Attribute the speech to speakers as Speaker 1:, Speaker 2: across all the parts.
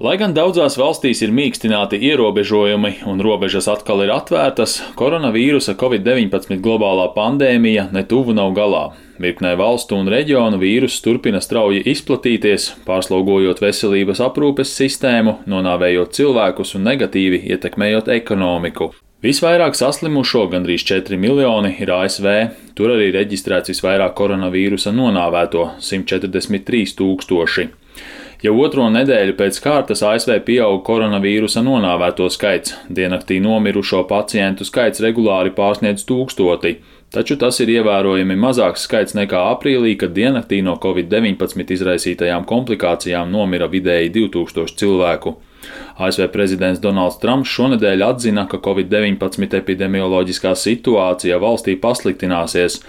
Speaker 1: Lai gan daudzās valstīs ir mīkstināti ierobežojumi un robežas atkal ir atvērtas, koronavīrusa Covid-19 globālā pandēmija netuvu nav galā. Virknē valstu un reģionu vīruss turpina strauji izplatīties, pārslogojot veselības aprūpes sistēmu, nonāvējot cilvēkus un negatīvi ietekmējot ekonomiku. Visvairāk saslimušo, gandrīz 4 miljoni, ir ASV. Tur arī reģistrēts visvairāk koronavīrusa nonāvēto - 143 000. Jau otro nedēļu pēc kārtas ASV pieauga koronavīrusa nonāvēto skaits. Diennaktī nomirušo pacientu skaits regulāri pārsniedz 1000, taču tas ir ievērojami mazāks skaits nekā aprīlī, kad diennaktī no Covid-19 izraisītajām komplikācijām nomira vidēji 2000 cilvēku. ASV prezidents Donalds Trumps šonedēļ atzina, ka Covid-19 epidemioloģiskā situācija valstī pasliktināsies.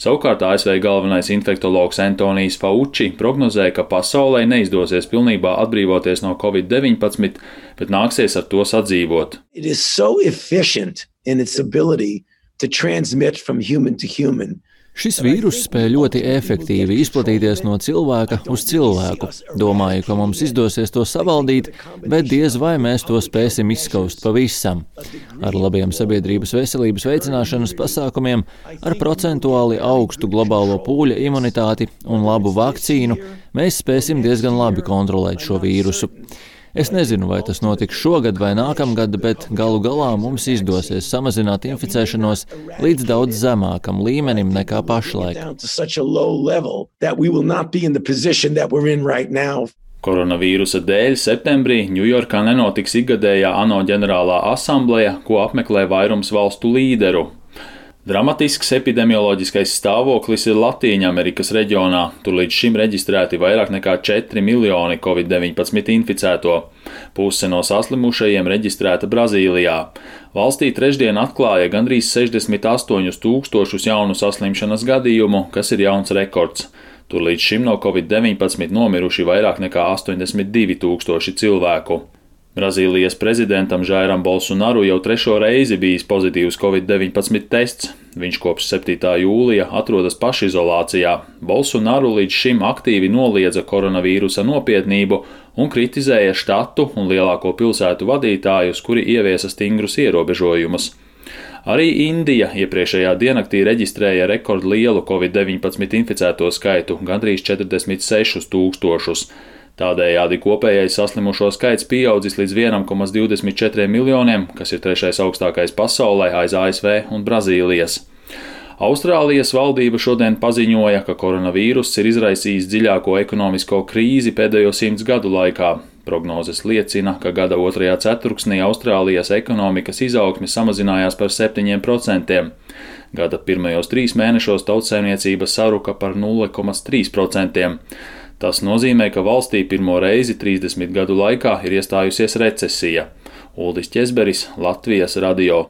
Speaker 1: Savukārt ASV galvenais infektologs Antonijs Fauci prognozē, ka pasaulē neizdosies pilnībā atbrīvoties no Covid-19, bet nāksies ar to sadzīvot.
Speaker 2: It is so efficient in its ability to transmit from human to human.
Speaker 3: Šis vīruss spēj ļoti efektīvi izplatīties no cilvēka uz cilvēku. Domāju, ka mums izdosies to savaldīt, bet diez vai mēs to spēsim izskaust pavisam. Ar labiem sabiedrības veselības veicināšanas pasākumiem, ar procentuāli augstu globālo pūļa imunitāti un labu vakcīnu mēs spēsim diezgan labi kontrolēt šo vīrusu. Es nezinu, vai tas notiks šogad vai nākamgad, bet galu galā mums izdosies samazināt inficēšanos līdz daudz zemākam līmenim nekā pašlaik.
Speaker 1: Koronavīrusa dēļ septembrī Ņujorkā nenotiks ikgadējā ANO ģenerālā asambleja, ko apmeklē vairums valstu līderu. Dramatisks epidemioloģiskais stāvoklis ir Latīņamerikas reģionā. Tur līdz šim reģistrēti vairāk nekā 4 miljoni Covid-19 inficēto. Puse no saslimušajiem reģistrēta Brazīlijā. Valstī trešdien atklāja gandrīz 68 000 jaunu saslimšanas gadījumu, kas ir jauns rekords. Tur līdz šim no Covid-19 nomiruši vairāk nekā 82 000 cilvēku. Brazīlijas prezidentam Jairam Bolsonaru jau trešo reizi bijis pozitīvs Covid-19 tests. Viņš kopš 7. jūlija atrodas pašizolācijā. Bolsonaru līdz šim aktīvi noliedza koronavīrusa nopietnību un kritizēja štatu un lielāko pilsētu vadītājus, kuri ieviesa stingrus ierobežojumus. Arī Indija iepriekšējā diennaktī reģistrēja rekordlielu Covid-19 inficēto skaitu – gandrīz 46 000. Tādējādi kopējais saslimušo skaits pieaudzis līdz 1,24 miljoniem, kas ir trešais augstākais pasaulē aiz ASV un Brazīlijas. Austrālijas valdība šodien paziņoja, ka koronavīruss ir izraisījis dziļāko ekonomisko krīzi pēdējo 100 gadu laikā. Prognozes liecina, ka gada otrajā ceturksnī Austrālijas ekonomikas izaugsme samazinājās par 7%. Gada pirmajos 3 mēnešos tautsaimniecība saruka par 0,3%. Tas nozīmē, ka valstī pirmo reizi 30 gadu laikā ir iestājusies recesija. Uldis Ķezberis, Latvijas radio.